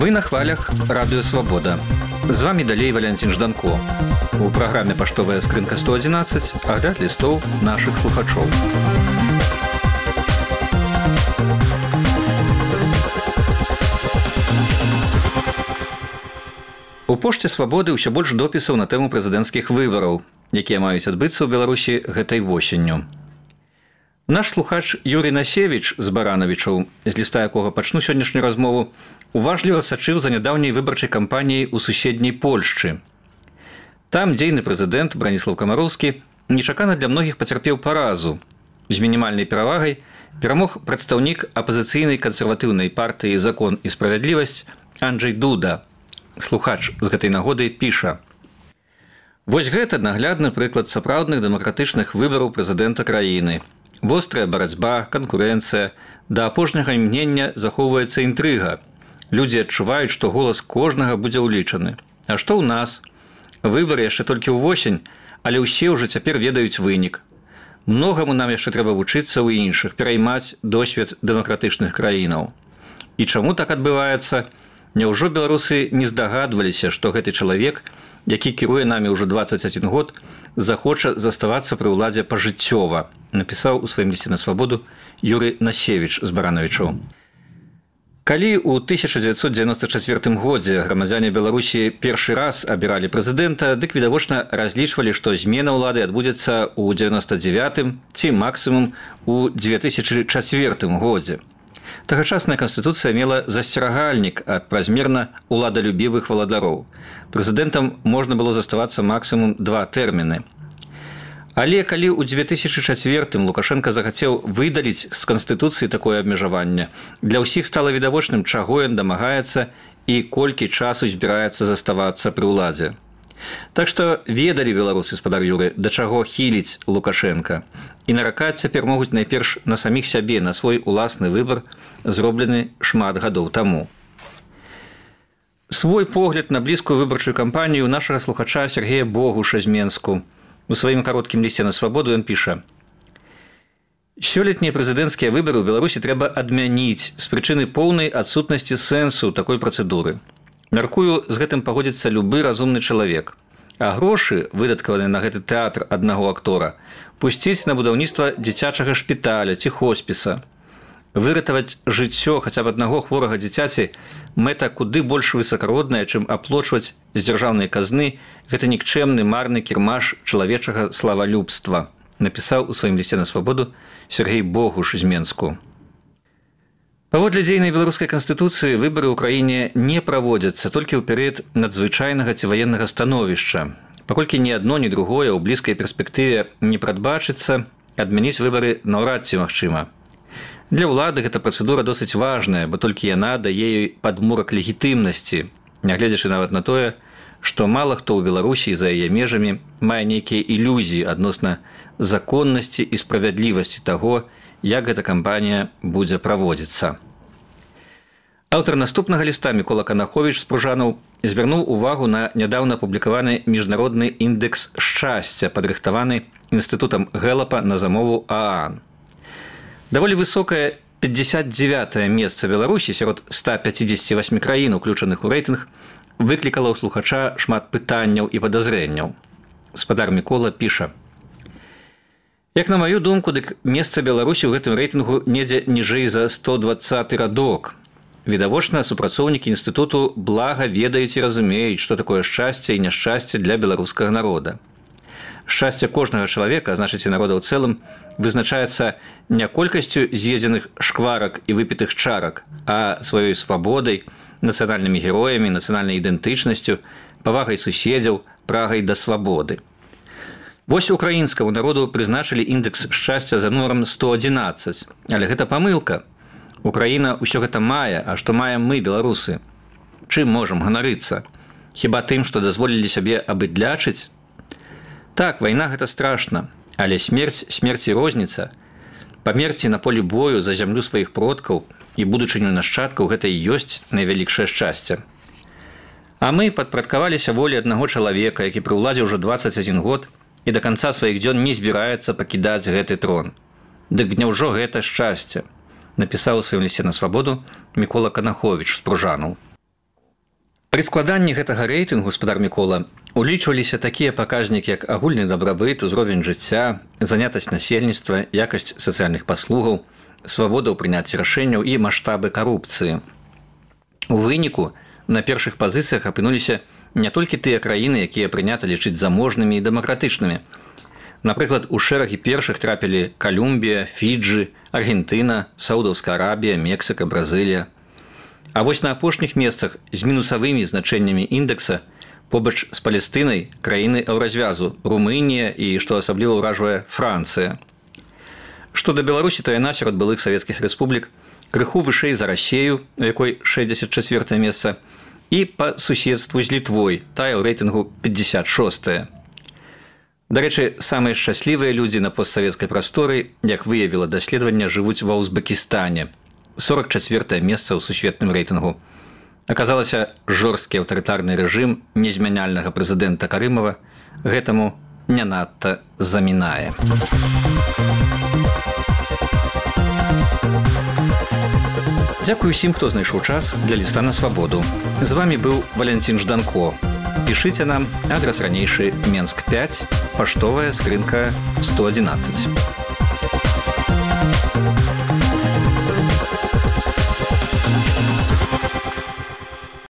Вы на хвалях радыё Свабода. З вами далей Валянцін Жданко. У праграме «Паштовая скрынка 111» агляд лістоў нашых слухачоў. У пошце Свабоды ўсё больш допісаў на тэму прэзідэнцкіх выбараў, якія маюць адбыцца ў Беларусі гэтай восенню. Наш слухач Юрий Насевич з Баранавічаў, з ліста якога пачну сённяшнюю размову, уважліва сачыў за нядаўняй выбарчай кампаніяй у суседняй Польшчы. Там дзейны прэзідэнт Браніслаў Камароўскі нечакана для многіх пацярпеў паразу. З мінімальнай перавагай перамог прадстаўнік апазіцыйнай кансерватыўнай партыі «Закон і справядлівасць» Анджэй Дуда. Слухач з гэтай нагоды піша: «Вось гэта наглядны прыклад сапраўдных дэмакратычных выбараў прэзідэнта краіны. Вострая барацьба, канкурэнцыя, да апошняга імгнення захоўваецца інтрыга. Людзі адчуваюць, што голас кожнага будзе ўлічаны. А што ў нас? Выбары яшчэ толькі ўвосень, але ўсе ўжо цяпер ведаюць вынік. Многаму нам яшчэ трэба вучыцца ў іншых, пераймаць досвед дэмакратычных краінаў. І чаму так адбываецца? Няўжо беларусы не здагадваліся, што гэты чалавек, які кіруе намі ўжо 21 год, захоча заставацца пры ўладзе пажыццёва», напісаў у сваім лісце на Свабоду Юрий Насевич з Баранавічаў. Калі ў 1994 годзе грамадзяне Беларусі першы раз абіралі прэзідэнта, дык відавочна разлічвалі, што змена ўлады адбудзецца ў 99-м ці максімум у 2004 годзе. Тагачасная канстытуцыя мела засцерагальнік ад празмерна уладалюбівых валадароў. Прэзідэнтам можна было заставацца максімум 2 тэрміны. Але калі ў 2004-м Лукашенко захацеў выдаліць з канстытуцыі такое абмежаванне, для ўсіх стала відавочным, чаго ён дамагаецца і колькі часу збіраецца заставацца пры ўладзе. Так што ведалі беларусы, спадар Юры, да чаго хіліць Лукашенко. І наракаць цяпер могуць найперш на саміх сябе, на свой уласны выбар, зроблены шмат гадоў таму. Свой погляд на блізкую выбарчую кампанію нашага слухача Сергея Богуша з Менску. У сваім кароткім лісце на Свабоду ён піша: «Сёлетнія прэзідэнцкія выбары ў Беларусі трэба адмяніць з прычыны поўнай адсутнасці сэнсу такой працэдуры. Мяркую, з гэтым пагодзіцца любы разумны чалавек. А грошы, выдаткаваныя на гэты тэатр аднаго актора, пусціць на будаўніцтва дзіцячага шпіталя ці хоспіса. Выратаваць жыццё хаця б аднаго хворага дзіцяці мэта куды больш высакародная, чым аплочваць з дзяржаўнай казны гэты нікчэмны марны кірмаш чалавечага славалюбства», напісаў у сваім лісце на Свабоду Сергей Богуш з Менску. Паводле дзейнай беларускай канстытуцыі выбары ў краіне не праводзяцца толькі ў перыяд надзвычайнага ці ваеннага становішча. Паколькі ні адно, ні другое ў блізкай перспектыве не прадбачыцца, адмяніць выбары наўрад ці магчыма. Для ўлады гэта працэдура досыць важная, бо толькі яна дае ёй падмурак легітымнасці, нягледзячы нават на тое, што мала хто ў Беларусі за яе межамі мае нейкія ілюзіі адносна законнасці і справядлівасці таго, як гэта кампанія будзе праводзіцца. Аўтар наступнага ліста Мікола Канаховіч з Пружанаў звярнуў увагу на нядаўна апублікаваны міжнародны індэкс шчасця, падрыхтаваны інстытутам Гэлапа на замову ААН. Даволі высокае 59-е месца Беларусі сярод 158 краін, уключаных у рэйтынг, выклікала ў слухача шмат пытанняў і падазрэнняў. Спадар Мікола піша: «Як на маю думку, дык месца Беларусі ў гэтым рэйтынгу недзе ніжэй за 120 радок. Відавочна, супрацоўнікі інстытуту блага ведаюць і разумеюць, што такое шчасце і няшчасце для беларускага народа. Шчасце кожнага чалавека, а значыць і народа ў цэлым, вызначаецца не колькасцю з'едзеных шкварак і выпітых чарак, а сваёй свабодай, нацыянальнымі героямі, нацыянальнай ідэнтычнасцю, павагай суседзяў, прагай да свабоды. Вось украінскаму народу прызначылі індэкс шчасця за нумарам 111, але гэта памылка. Украіна ўсё гэта мае, а што маем мы, беларусы? Чым можам ганарыцца? Хіба тым, што дазволілі сябе абыдлячыць? Так, вайна гэта страшна, але смерць і розніца. Памерці на полі бою за зямлю сваіх продкаў і будучыню нашчадкаў гэта і ёсць найвялікшае шчасце. А мы падпарадкаваліся волі аднаго чалавека, які пры ўладзе ўжо 21 год, і да канца сваіх дзён не збіраецца пакідаць гэты трон. Дык няўжо гэта шчасце? Напісаў у сваім лісце на Свабоду Мікола Канаховіч з Пружанаў. Пры складанні гэтага рэйтынгу, спадар Мікола, улічваліся такія паказнікі, як агульны дабрабыт, узровень жыцця, занятасць насельніцтва, якасць сацыяльных паслугаў, свабода ў прыняцці рашэнняў і маштабы карупцыі. У выніку на першых пазіцыях апынуліся не толькі тыя краіны, якія прынята лічыць заможнымі і дэмакратычнымі. Напрыклад, у шэрагі першых трапілі Калумбія, Фіджы, Аргентына, Саудаўская Арабія, Мексіка, Бразылія. А вось на апошніх месцах з мінусавымі значэннямі індэкса побач з Палестынай краіны еўразвязу, Румынія і, што асабліва ўражвае, Францыя. Што да Беларусі, то яна сярод былых савецкіх рэспублік крыху вышэй за Расею, у якой 64 месца, і па суседству з Літвой, тая ў рэйтынгу 56. Дарэчы, самыя шчаслівыя людзі на постсавецкай прасторы, як выявіла даследаванне, жывуць ва Узбекістане. 44 месца ў сусветным рэйтынгу. Аказалася, жорсткі аўтарытарны рэжым незмяняльнага прэзідэнта Карымава гэтаму не надта замінае. Дзякую усім, хто знайшоў час для ліста на свабоду. З вамі быў Валянцін Жданко. Пішыце нам, адрас ранейшы Менск 5, паштовая скрынка 111.